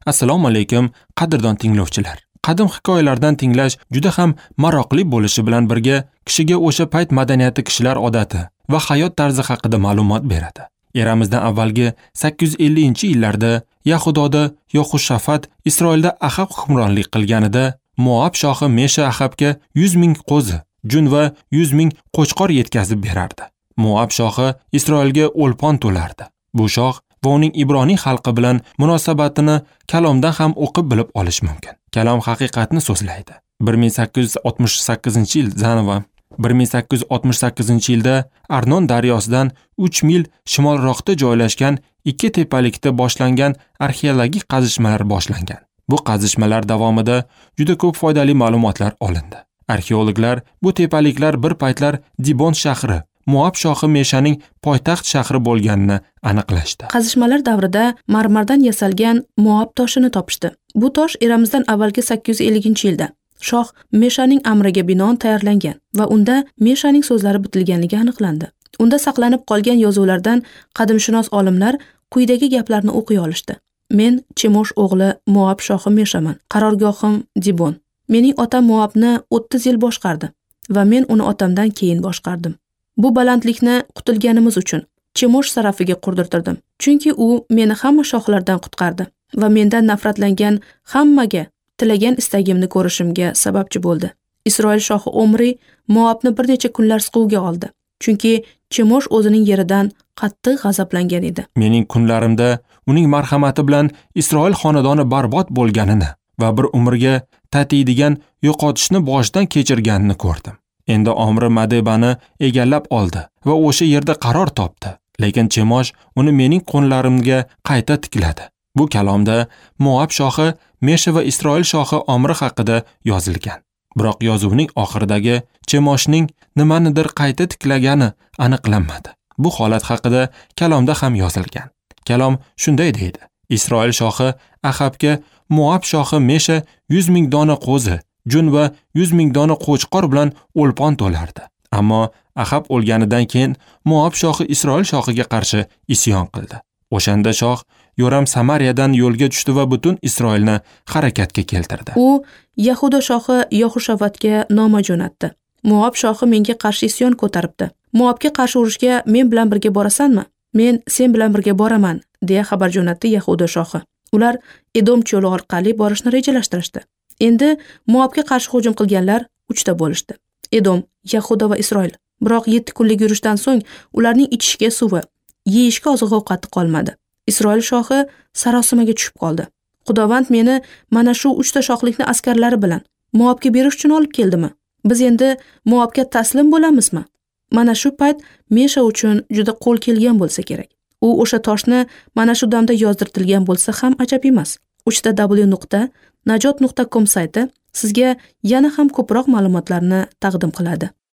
Assalomu alaykum, qadrdon tinglovchilar. Qadim hikoyalardan tinglash juda ham maroqli bo'lishi bilan birga kishiga o'sha payt madaniyati, kishilar odati va hayot tarzi haqida ma'lumot beradi. Eramizdan avvalgi 850-yillarda Yahudoda Yohushafat, Isroilda Ahab hukmronlik qilganida Moab shohi Mesha Ahabga 100 ming qo'zi, jun va 100 ming qo'chqor yetkazib berardi. Moab shohi Isroilga o'lpon to'lardi. Bu shoh va uning Ibroniy xalqi bilan munosabatini kalomdan ham o'qib bilib olish mumkin. Kalom haqiqatni so'zlaydi. 1868-yil Zanova 1868-yilda Arnon daryosidan 3 mil shimolroqda joylashgan ikki tepalikda boshlangan arxeologik qazishmalar boshlangan. Bu qazishmalar davomida juda ko'p foydali ma'lumotlar olindi. Arxeologlar bu tepaliklar bir paytlar Dibon shahri, Moab shohi Meshaning poytaxt shahri bo'lganini aniqlashdi. Qazishmalar davrida marmardan yasalgan Moab toshini topishdi. Bu tosh eramizdan avvalgi 850-yilda shoh Meshaning amriga binoan tayyorlangan va unda Meshaning so'zlari bitilganligi aniqlandi. Unda saqlanib qolgan yozuvlardan qadimshunos olimlar quyidagi gaplarni o'qiy olishdi. Men Chemosh o'g'li Moab shohi Meshaman. Qarorgohim Dibon. Mening otam Moabni 30 yil boshqardi va men uni otamdan keyin boshqardim. Bu balandlikni qutulganimiz uchun Chemosh sarafiga qurdirtirdim. Chunki u meni hamma shohlardan qutqardi va mendan nafratlangan hammaga tilagan istagimni ko'rishimga sababchi bo'ldi. Isroil shohi Omri Moabni bir necha kunlar siquvga oldi. Chunki Chemosh o'zining yeridan qattiq g'azablangan edi. Mening kunlarimda uning marhamati bilan Isroil xonadoni barbod bo'lganini va bir umrga tatiydigan yo'qotishni boshdan kechirganini ko'rdim. Endi Omri Madebani egallab oldi va o'sha yerda qaror topdi. Lekin Chemosh uni mening qo'llarimga qayta tikladi. Bu kalomda Moab shohi Mesha va Isroil shohi Omri haqida yozilgan. Biroq yozuvning oxiridagi Chemoshning nimanidir qayta tiklagani aniqlanmadi. Bu holat haqida kalomda ham yozilgan. Kalom shunday deydi: Isroil shohi Ahabga Moab shohi Mesha 100 ming dona qo'zi, jun va 100 ming dona qo'chqor bilan o'lpon to'lardi. Ammo Ahab o'lganidan keyin Moab shohi Isroil shohiga qarshi isyon qildi. O'shanda shoh Yoram Samariyadan yo'lga tushdi va butun Isroilni harakatga keltirdi. U Yahuda shohi Yohushafatga noma jo'natdi. Moab shohi menga qarshi isyon ko'taribdi. Moabga qarshi urushga men bilan birga borasanmi? Men sen bilan birga boraman, deya xabar jo'natdi Yahuda shohi. Ular Edom cho'li orqali borishni rejalashtirishdi. Endi Moabga qarshi hujum qilganlar 3 ta bo'lishdi. Edom, Yahuda va Isroil. Biroq 7 kunlik yurishdan so'ng ularning ichishga suvi, yeyishga oziq-ovqati qolmadi. Isroil shohi sarosimaga tushib qoldi. Xudovand meni mana shu 3 ta shohlikni askarlari bilan Moabga berish uchun olib keldimi? Biz endi Moabga taslim bo'lamizmi? Mana shu payt Mesha uchun juda qo'l kelgan bo'lsa kerak. U o'sha toshni mana shu damda yozdirtilgan bo'lsa ham ajab emas. www.najot.com sayti sizga yana ham ko'proq ma'lumotlarni taqdim qiladi.